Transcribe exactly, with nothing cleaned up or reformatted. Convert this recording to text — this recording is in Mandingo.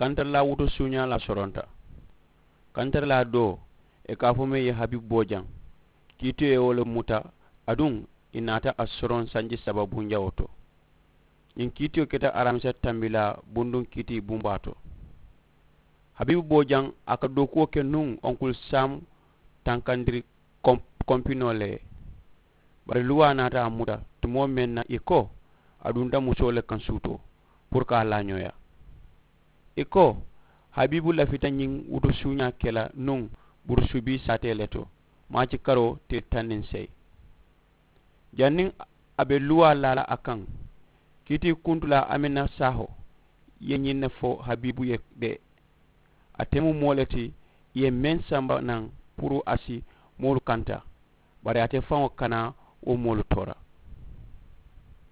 kantarilaa wutu suuñaa la soronta. Kantarilaa doo ì ka a fo meŋ ye habibu boo jaŋ. Kiitiyo ye wo le muta aduŋ ì naata a soroŋ sanji saba bunjawoo to. Ñiŋ kiitiyo keta aramisa tambilaa bunduŋ kiiti bumbaa to. Habibu boo jaŋ a ka dookuwo ke nuŋ onkulu sam tankandiri kompinoo le ye. Bari luwaa naata a muta tumoo meŋ na ì ko a dunta musoo le kaŋ suutoo puru ka a laa ñooyaa. Ì ko habibu lafita ñiŋ wutu suuñaa ke la nuŋ burusubii saatee le to maaci karoo tili taŋ niŋ seyi. Janniŋ a be luwaa laa la a kaŋ kiitii kuntulaa amina saaho ye ñiŋ ne fo habibu ye de. Ate mu moo le ti ì ye meŋ samba naŋ puru a si moolu kanta bari ate faŋo kana wo moolu toora.